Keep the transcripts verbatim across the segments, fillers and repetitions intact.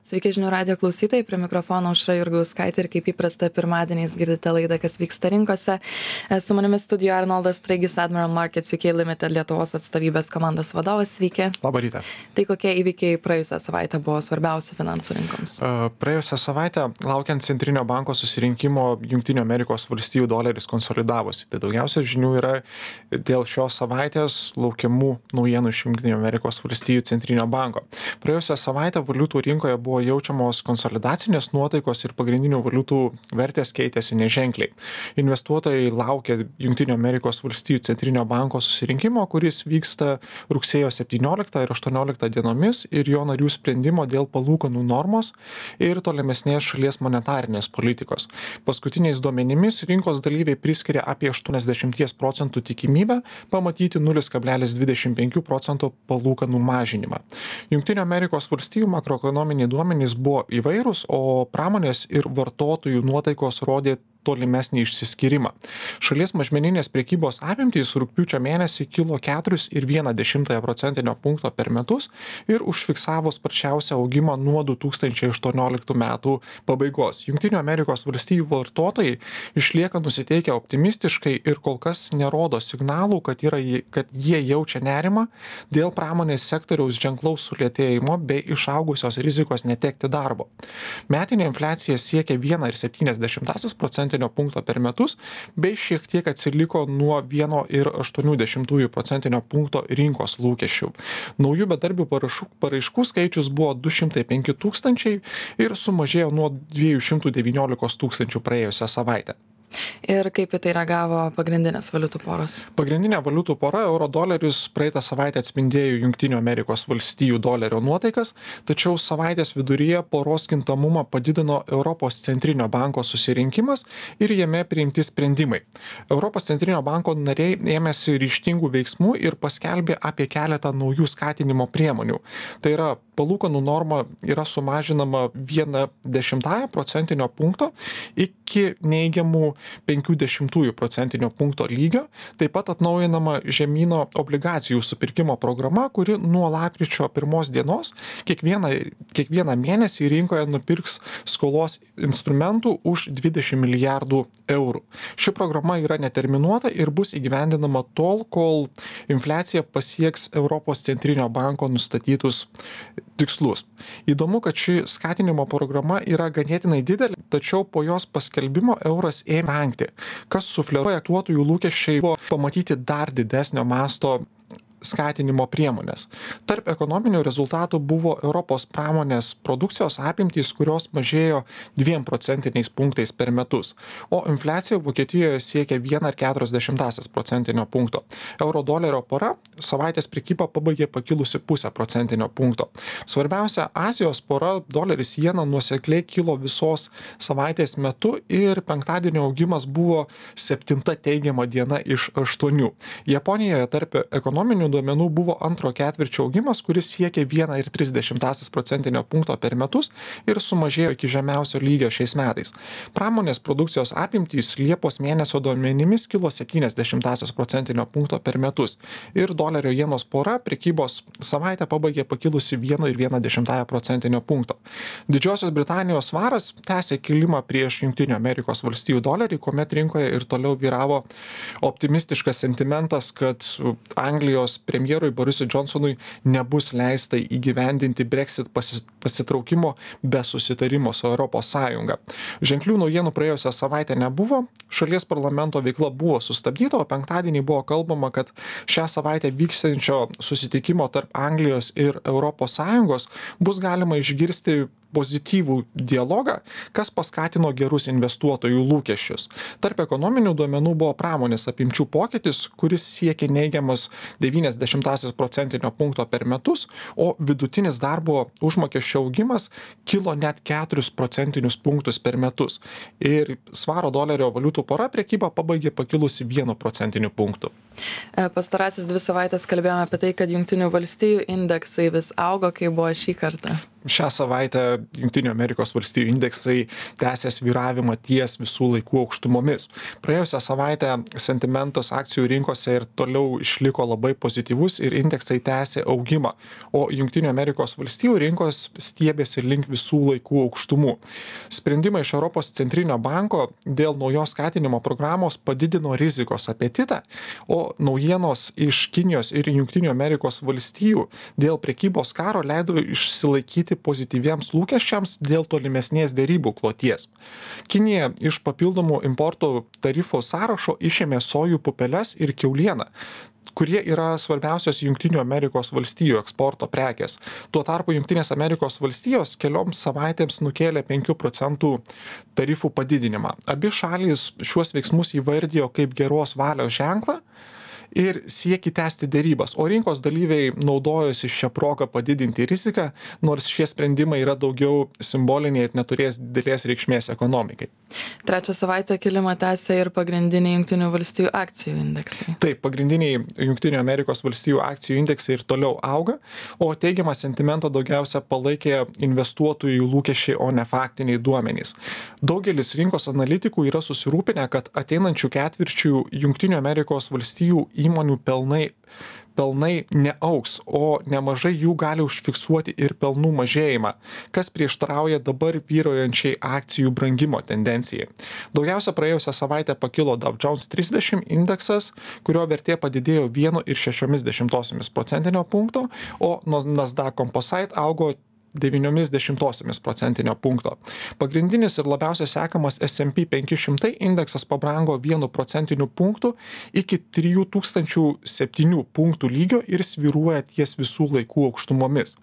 Sveiki žinių radijo klausytojai, prie mikrofono Aušra Jurgauskaitė ir kaip įprasta pirmadieniais girdite laidą, kas vyksta rinkose. Su manimi studijoje Arnoldas Straigis, Admiral Markets U K Limited Lietuvos atstovybės komandos vadovas. Sveiki. Labą rytą. Tai kokie įvykiai praėjusią savaitę buvo svarbiausi finansų rinkoms? Praėjusią savaitę, laukiant Centrinio banko susirinkimo, Jungtinių Amerikos valstijų doleris konsolidavosi. Tai daugiausia žinių yra dėl šios savaitės laukiamų naujienų iš Jungtinių Amerikos valstijų Centrinio banko. Praėjusią savaitę valiutų rinkoje buvo jaučiamos konsolidacinės nuotaikos ir pagrindinių valiutų vertės keitėsi neženkliai. Investuotojai laukia Jungtinių Amerikos valstijų Centrinio banko susirinkimo, kuris vyksta rugsėjo septynioliktą ir aštuonioliktą dienomis, ir jo narių sprendimo dėl palūkanų normos ir tolimesnės šalies monetarinės politikos. Paskutiniais duomenimis rinkos dalyviai priskiria apie aštuoniasdešimt procentų tikimybę pamatyti nulis kablelis dvidešimt penki procento palūkanų mažinimą. Jungtinių Amerikos valstijų makroekonominiai duomenys buvo įvairūs, o pramonės ir vartotojų nuotaikos rodė tolimesnį išsiskyrimą. Šalies mažmeninės prekybos apimtys rugpjūčio mėnesį kilo keturis ir vieną dešimtąją procentinio punkto per metus ir užfiksavo sparčiausią augimą nuo du tūkstančiai aštuonioliktų metų pabaigos. Jungtinių Amerikos valstijų vartotojai išlieka nusiteikę optimistiškai ir kol kas nerodo signalų, kad, yra, kad jie jaučia nerimą dėl pramonės sektoriaus ženklaus sulėtėjimo bei išaugusios rizikos netekti darbo. Metinė infliacija siekia vieną ir septynias dešimtąsias procentinio punkto per metus, bei šiek tiek atsiliko nuo vieno ir aštuonių dešimtųjų procentinio punkto rinkos lūkesčių. Naujų bedarbių parašų, paraiškų skaičius buvo du šimtai penki tūkstančiai ir sumažėjo nuo dviejų šimtų devyniolikos tūkstančių praėjusią savaitę. Ir kaip į tai reagavo pagrindinės valiutų poros? Pagrindinė valiutų pora euro doleris praeitą savaitę atspindėjo Jungtinių Amerikos valstijų dolerio nuotaikas, tačiau savaitės viduryje poros kintamumą padidino Europos centrinio banko susirinkimas ir jame priimti sprendimai. Europos centrinio banko nariai ėmėsi ryžtingų veiksmų ir paskelbė apie keletą naujų skatinimo priemonių. Tai yra, palūkanų norma yra sumažinama viena dešimtąja procentinio punkto iki neigiamų penkių dešimtųjų procentinio punkto lygio. Taip pat atnaujinama žemyno obligacijų supirkimo programa, kuri nuo lapkričio pirmos dienos kiekvieną, kiekvieną mėnesį rinkoje nupirks skolos instrumentų už dvidešimt milijardų eurų. Ši programa yra neterminuota ir bus įgyvendinama tol, kol infliacija pasieks Europos centrinio banko nustatytus tikslus. Įdomu, kad ši skatinimo programa yra ganėtinai didelė, tačiau po jos paskelbimo euras ėmė brangti, kas sufleruoja investuotojų lūkesčiai buvo pamatyti dar didesnio masto skatinimo priemonės. Tarp ekonominių rezultatų buvo Europos pramonės produkcijos apimtys, kurios mažėjo dviem procentiniais punktais per metus, o infliacija Vokietijoje siekia vieną ir keturias dešimtąsias procentinio punkto. Euro dolerio pora savaitės prekybą pabaigė pakilusi pusę procentinio punkto. Svarbiausia, Azijos pora doleris jena nuosekliai kilo visos savaitės metu ir penktadienio augimas buvo septinta teigiama diena iš aštuonių. Japonijoje tarp ekonominių duomenų buvo antro ketvirčio augimas, kuris siekė vieną ir tris dešimtąsias procentinio punkto per metus ir sumažėjo iki žemiausio lygio šiais metais. Pramonės produkcijos apimtys Liepos mėnesio duomenimis kilo septynias dešimtąsias procentinio punkto per metus ir dolerio jenos pora prekybos savaitę pabaigė pakilusi vieną ir vieną dešimtąją procentinio punkto. Didžiosios Britanijos svaras tęsė kilimą prieš Jungtinių Amerikos valstijų dolerį, kuomet rinkoje ir toliau vyravo optimistiškas sentimentas, kad Anglijos premjerui Borisui Johnsonui nebus leista įgyvendinti Brexit pasitraukimo be susitarimo su Europos Sąjunga. Ženklių naujienų praėjusią savaitę nebuvo, šalies parlamento veikla buvo sustabdyta, o penktadienį buvo kalbama, kad šią savaitę vykstančio susitikimo tarp Anglijos ir Europos Sąjungos bus galima išgirsti pozityvų dialogą, kas paskatino gerus investuotojų lūkesčius. Tarp ekonominių duomenų buvo pramonės apimčių pokytis, kuris siekė neigiamas devynias dešimtąsias procentinio punkto per metus, o vidutinis darbo užmokesčio augimas kilo net keturis procentinius punktus per metus. Ir svaro dolerio valiutų pora prekybą pabaigė pakilusi vienu procentiniu punktu. Pastarasis dvi savaitės kalbėjome apie tai, kad Jungtinių valstijų indeksai vis augo, kai buvo šį kartą. Šią savaitę Junktinių Amerikos valstijų indeksai tęsė svyravimą ties visų laikų aukštumomis. Praėjusią savaitę sentimentas akcijų rinkose ir toliau išliko labai pozityvus ir indeksai tęsė augimą, o Junktinių Amerikos valstijų rinkos stiebėsi link visų laikų aukštumų. Sprendimai iš Europos centrinio banko dėl naujos skatinimo programos padidino rizikos apetitą, o naujienos iš Kinijos ir Junktinių Amerikos valstijų dėl prekybos karo leido išsilaikyti pozityviems lūkesčiams dėl tolimesnės derybų kloties. Kinija iš papildomų importo tarifo sąrašo išėmė sojų pupeles ir kiaulieną, kurie yra svarbiausios Junktinių Amerikos valstijų eksporto prekės. Tuo tarpu Junktinės Amerikos valstijos kelioms savaitėms nukėlė penkių procentų tarifų padidinimą. Abi šalys šiuos veiksmus įvardijo kaip geros valios ženklą ir sieki tęsti derybas, o rinkos dalyviai naudojosi šią progą padidinti riziką, nors šie sprendimai yra daugiau simboliniai ir neturės didelės reikšmės ekonomikai. Trečią savaitę kilimą tęsia ir pagrindiniai Junktinių valstijų akcijų indeksai. Taip, pagrindiniai Junktinių Amerikos valstijų akcijų indeksai ir toliau auga, o teigiamą sentimentą daugiausia palaikė investuotojų lūkesčiai, o ne faktiniai duomenys. Daugelis rinkos analitikų yra susirūpinę, kad ateinančių ketvirčių Junktinių Amerikos valstijų įmonių pelnai, pelnai neaugs, o nemažai jų gali užfiksuoti ir pelnų mažėjimą, kas prieštarauja dabar vyrojančiai akcijų brangimo tendencijai. Daugiausia praėjusią savaitę pakilo Dow Jones trisdešimt indeksas, kurio vertė padidėjo vienu ir šešiomis dešimtosiomis procentinio punkto, o Nasdaq Composite augo devyniomis dešimtosiomis procentinio punkto. Pagrindinis ir labiausiai sekamas S and P penki šimtai indeksas pabrango vienu procentiniu punktu iki trijų tūkstančių septynių punktų lygio ir svyruoja ties visų laikų aukštumomis.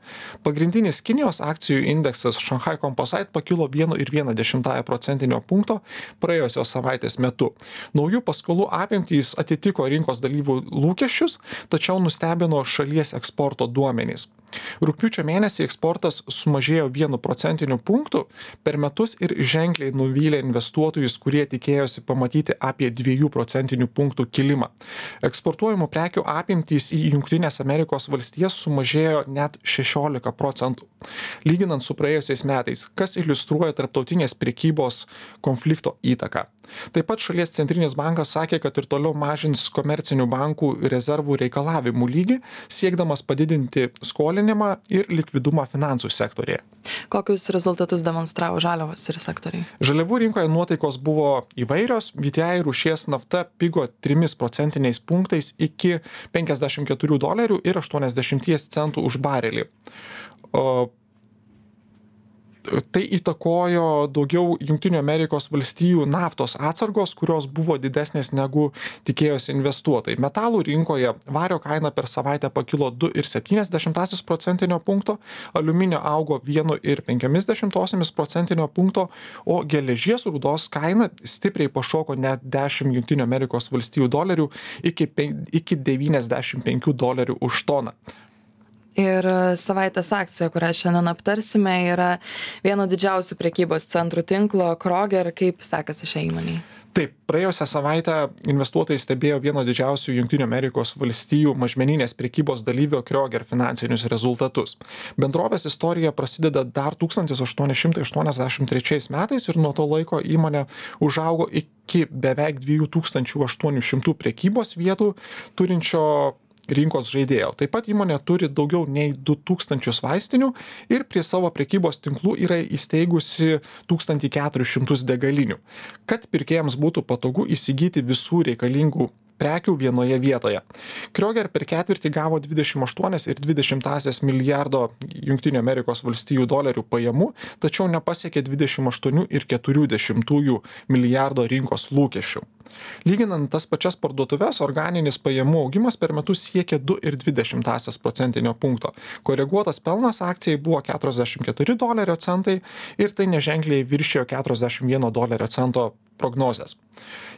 Pagrindinis Kinijos akcijų indeksas Shanghai Composite pakilo vienu ir viena dešimtąja procentinio punkto praėjusios savaitės metu. Naujų paskolų apimtys atitiko rinkos dalyvių lūkesčius, tačiau nustebino šalies eksporto duomenys. Rugpjūčio mėnesį eksportas sumažėjo vienu procentiniu punktu per metus ir ženkliai nuvylė investuotojus, kurie tikėjosi pamatyti apie dviejų procentinių punktų kilimą. Eksportuojamų prekių apimtys į Jungtinės Amerikos valstijas sumažėjo net šešiolika procentų, lyginant su praėjusiais metais, kas iliustruoja tarptautinės prekybos konflikto įtaką. Taip pat šalies centrinis bankas sakė, kad ir toliau mažins komercinių bankų rezervų reikalavimų lygį, siekdamas padidinti skolinimą ir likvidumą finansų sektorėje. Kokius rezultatus demonstravo žaliavos ir sektoriai? Žaliavų rinkoje nuotaikos buvo įvairios. V T I rūšies nafta pigo trimis procentiniais punktais iki penkiasdešimt keturių dolerių ir aštuoniasdešimt centų už barelį. O tai įtakojo daugiau Junktinių Amerikos valstijų naftos atsargos, kurios buvo didesnės negu tikėjosi investuotojai. Metalų rinkoje vario kaina per savaitę pakilo du ir septynias dešimtąsias procentinio punkto, aliuminio augo vienu ir penkiamis dešimtosiomis procentinio punkto, o geležies rūdos kaina stipriai pašoko net dešimt Junktinių Amerikos valstijų dolerių iki, iki devyniasdešimt penkių dolerių už toną. Ir savaitės akcija, kurią šiandien aptarsime, yra vieno didžiausių prekybos centrų tinklo Kroger. Kaip sekasi šiai įmonei? Taip, praėjusią savaitę investuotojai stebėjo vieno didžiausių Junktinių Amerikos valstijų mažmeninės prekybos dalyvio Kroger finansinius rezultatus. Bendrovės istorija prasideda dar tūkstantis aštuoni šimtai aštuoniasdešimt trečiais metais ir nuo to laiko įmonė užaugo iki beveik dviejų tūkstančių aštuonių šimtų prekybos vietų turinčio rinkos žaidėjo. Taip pat įmonė turi daugiau nei du tūkstančius vaistinių ir prie savo prekybos tinklų yra įsteigusi tūkstantį keturis šimtus degalinių, kad pirkėjams būtų patogu įsigyti visų reikalingų prekių vienoje vietoje. Kroger per ketvirtį gavo dvidešimt aštuonias ir dvi dešimtąsias milijardo Junktinių Amerikos valstijų dolerių pajamų, tačiau nepasiekė dvidešimt aštuonių ir keturių dešimtųjų milijardo rinkos lūkesčių. Lyginant tas pačias parduotuves, organinis pajamų augimas per metus siekė du ir dvi dešimtąsias procentinio punkto. Koreguotas pelnas akcijai buvo keturiasdešimt keturi dolerio centai ir tai neženkliai viršijo keturiasdešimt vieno dolerio cento prognozes.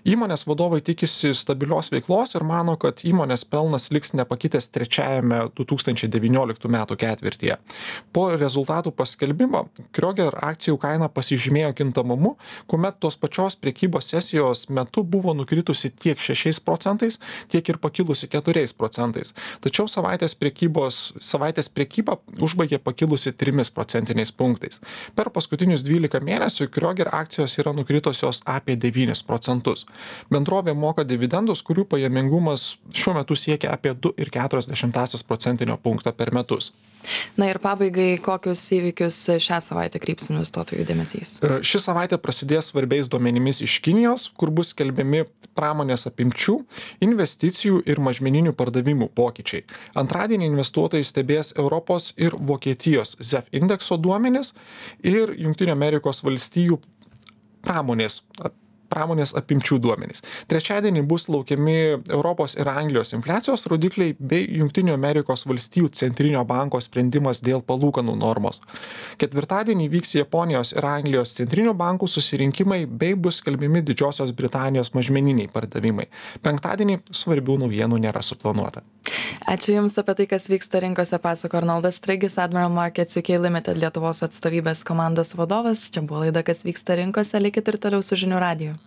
Įmonės vadovai tikisi stabilios veiklos ir mano, kad įmonės pelnas liks nepakitęs trečiajame du tūkstančiai devynioliktų metų ketvirtyje. Po rezultatų paskelbimo Kroger akcijų kaina pasižymėjo kintamumu, kuomet tos pačios prekybos sesijos metu buvo buvo nukritusi tiek šešiais procentais, tiek ir pakilusi keturiais procentais. Tačiau savaitės priekybos, savaitės priekyba užbaigė pakilusi trimis procentiniais punktais. Per paskutinius dvylika mėnesių Krioger akcijos yra nukritusios apie devynis procentus. Bendrovė moka dividendus, kurių pajamingumas šiuo metu siekia apie du ir keturias dešimtąsias procentinio punkto per metus. Na ir pabaigai, kokius įvykius šią savaitę kryps investuotojų dėmesys? Ši savaitė prasidės svarbiais duomenimis iš Kinijos, kur bus skelbiami pramonės apimčių, investicijų ir mažmeninių pardavimų pokyčiai. Antradienį investuotojai stebės Europos ir Vokietijos Z E F indekso duomenis ir Jungtinių Amerikos valstijų pramonės pramonės apimčių duomenys. Trečiadienį bus laukiami Europos ir Anglijos infliacijos rodikliai bei Jungtinių Amerikos valstijų centrinio banko sprendimas dėl palūkanų normos. Ketvirtadienį vyks Japonijos ir Anglijos centrinių bankų susirinkimai bei bus skelbiami Didžiosios Britanijos mažmeniniai pardavimai. Penktadienį svarbių naujienų nėra suplanuota. Ačiū Jums apie tai, kas vyksta rinkose, pasako Arnoldas Straigis, Admiral Markets U K Limited Lietuvos atstovybės komandos vadovas. Čia buvo laida, kas vyksta rinkose, likit ir toliau su žinių radiju.